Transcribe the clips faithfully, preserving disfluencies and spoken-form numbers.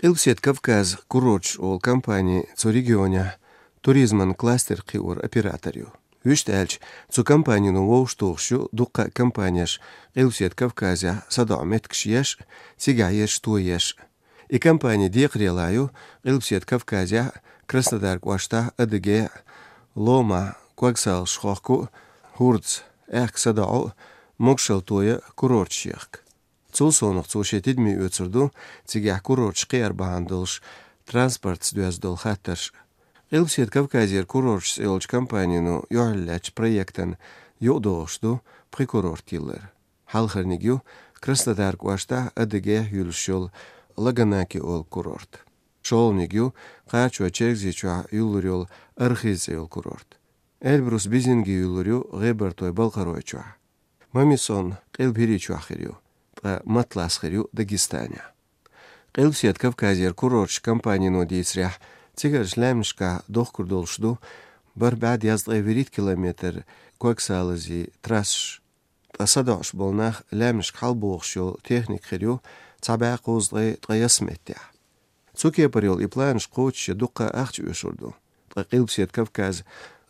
Къилбаседа Кавказ курорташ олу компани цу регионехь туризман кластер кхиоран оператор ю. Вуьшта аьлча, цу компанино вовшахтухуш ю дуккха а компанеш Къилбаседа Кавказехь садоӀу меттигаш еш а, цигахь ерш тоеш а. И компани декхарийлахь ю Къилбаседа Кавказехь, Краснодар кӀоштахь, Адыгейхь, Ломахь, Когсалаш хохку а, хӀордаш аьхка садоӀу а, могушалла тоя а курорташ ехка. Цул совнаха цо шен тидаме оьцур ду цигахь курорташ кхиар бахьана долуш транспортца доьзна долу хаттарш а. Къилбаседа Кавказера курорташ цӀе йолчу компанино юьхьарлаьцначу проектан юкъадогӀуш ду пхи курорт йиллар. Хьалхарниг ю Краснодар кӀоштахь, Адыгейхь юьллуш йолу Лаганаки олу курорт. ШолгӀаниг ю кхачой Чергазийчохь юьллур йолу Архыз цӀе йолу курорт. Эльбрус-Бизинги юьллур ю ГӀебартой-Балкхаройчохь. Мамисон Къилба ХӀирийчохь хир ю, ткъа Матлас хир ю Дагестанехь. Къилбаседа Кавказера курорташ компанино дийцарехь, цигарчу лаьмнашкахь дохкур долуш ду бархӀ бӀе дезткъе вуьрхӀитта километр Когсалази трассаш. Ткъа садоӀуш болу нах лаьмнашка хьалабохуш йолу техника хир ю цхьа бӀе кхузткъе ткъайесна меттехь. Цу кепара йолу и планаш кхочушъян дуккха а ахча оьшур ду. Ткъа Къилбаседа Кавказ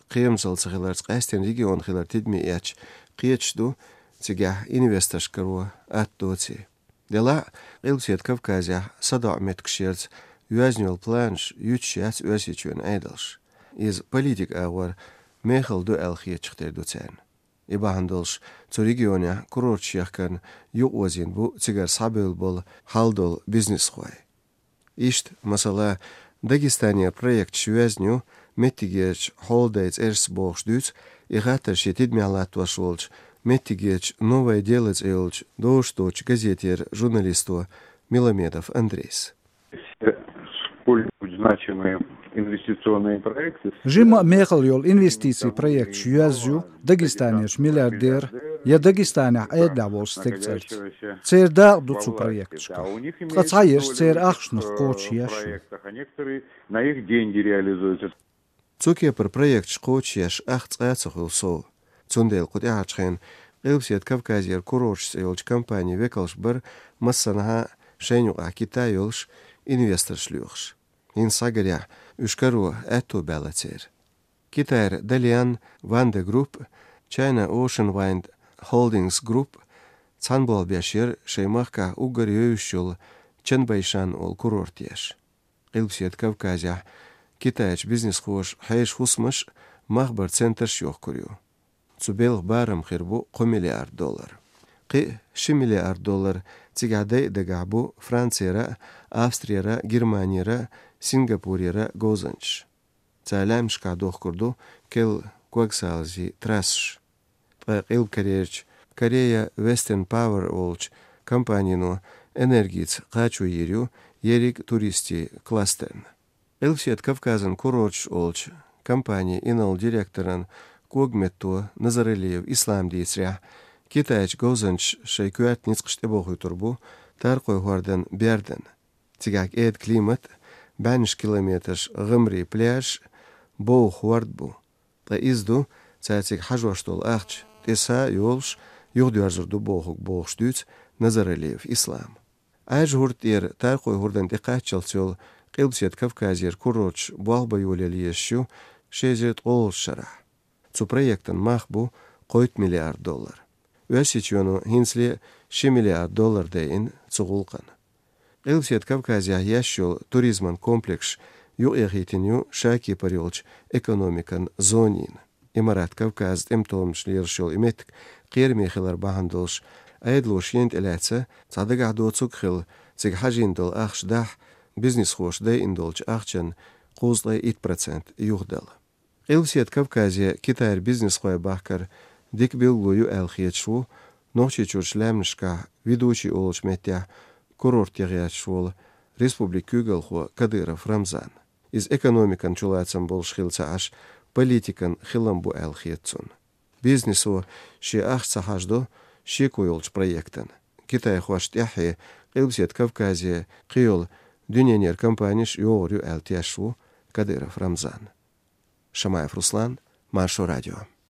кхерамзалла ца хиларца къаьсттина регион хилар тидаме эцча, кхеташ ду цигахь инвесторш каро атта доций. Делахь а, Къилбаседа Кавказехь садоӀу меттигаш ярца йоьзна йолу планаш юьтуш яц Оьрсийчоьнан Ӏедалша. Иза политикан агӀор мехала ду аьлла хетачух тера ду царна. И бахьана долуш цу регионехь курорташ яхкарна юкъаозийна бу цигара схьабевлла болу хьал долу бизнесхой. Иштта, масала, Дагестанера проекташ йоьзна ю меттигерчу хьолдайн цӀерашца бохуш дуьйцу и хаттар шен тидамехь латтош волчу меттигерчу «Новое дело» цӀе йолчу дозуш доцучу газетера журналисто Миламедов Андрейс. Все сколь-нибудь значимые инвестиционные проекты. Жимма а мехала йолу инвестицийн проекташ йоьзна ю Дагестанерчу миллиардеран я Дагестанехь Ӏедалехь волчу стеган цӀарца. Церан дакъа ду цу проекташкахь. Ткъа цхьаерш церан ахчанах кхочушъеш ю. А некоторые на их деньги реализуются. Цу кепара проекташ кхочушъеш ах цкъа а ца хуьлу сов. Цундела кху тӀаьхьарчу хенахь Къилбаседа Кавказера курорташ цӀе йолчу компанин векалш бара массанхьа шайна юкъахь Китай йолуш инвесторш лоьхуш. ХӀинца схьагарехь, уьш каро аьтто баьлла церан. Китайра Dalian Wanda Group, China Ocean Wind Holdings Group цхьаьна болх беш яра шайн махкахь уггар евзаш йолу Чанбэйшан олу курорт еш. Къилбаседа Кавказехь китайчу бизнесхоша хьешан хӀусамаш а, мах баран центраш а йохкур ю. Цу белхан барам хир бу кхо миллиард доллар. Кхин а ши миллиард доллар цигахь дайа дагахь бу Францера а, Австрера а, Германера а, Сингапурера а говзанчаш. Цара лаьмнашкахь дохкур ду керла Когсалази трассаш. Ткъа Къилба Корейрчу Korea Western Power олучу компанино энергица кхачо йийр ю ерриг туристийн кластерна. Къилбаседа Кавказан курорташ олучу компанин инарла директоран когаметтан Назаралиев Ислама дийцарехь, китайчу говзанчаша шайн коьрта ницкъаш тӀебохуьйтур бу Таркхойн хӀордан бердан. Цигахь кӀеда климат, бӀеннаш километраш гӀамарийн пляж, бовха хӀорд бу. Ткъа иза ду цара цига хьажош долу ахча тӀе са а йолуш, юхадоьрзур ду бохург, бохуш дуьйцу Назаралиев Ислама. Ӏаьржа хӀорда тӀера Таркхойн хӀордан тӀекхаччалц йолу Къилбаседа Кавказера курорташ болх бан йолаелла езаш ю ши эзар ткъолгӀачу шарахь. Цу проектан мах бу кхойтта миллиард доллар. Оьрсийчоьно хӀинцале ши миллиард доллар дайина цу гӀуллакхна. Къилбаседа Кавказехь еш йолу туризман комплекс юкъаэхийтина ю ша кепара йолчу экономикан зонина. Имарат Кавказан тӀематомнаш лелаш йолу и меттиг кхераме хилар бахьана долуш, Ӏедало шена тӀелаьцна цхьа дагахь доцург хилла, цига хьажийна долу ахча дахь, бизнесхоша дайина долчу ахчан кхузткъе итт процент юхадала. Къилбаседа Кавказе Китайра бизнесхой бахкар дика билгало ю аьлла хеташ ву Нохчийчуьрчу лаьмнашкахь Ведучи олучу меттехь курорт ян гӀерташ волу республикан куьйгалхо Кадыров Рамзан. Иза экономикан чулацам болуш хилла ца Ӏаш, политикан хилам бу аьлла хета цунна. Бизнесо шен ахча ца хьажадо шеко йолчу проектана. Китайхошна тӀаьххье Къилбаседа Кавказе кхийолу дуьненара компанеш а йогӀур ю аьлла тешаш ву Кадыров Рамзан. Шамаев Руслан, Маршо радио.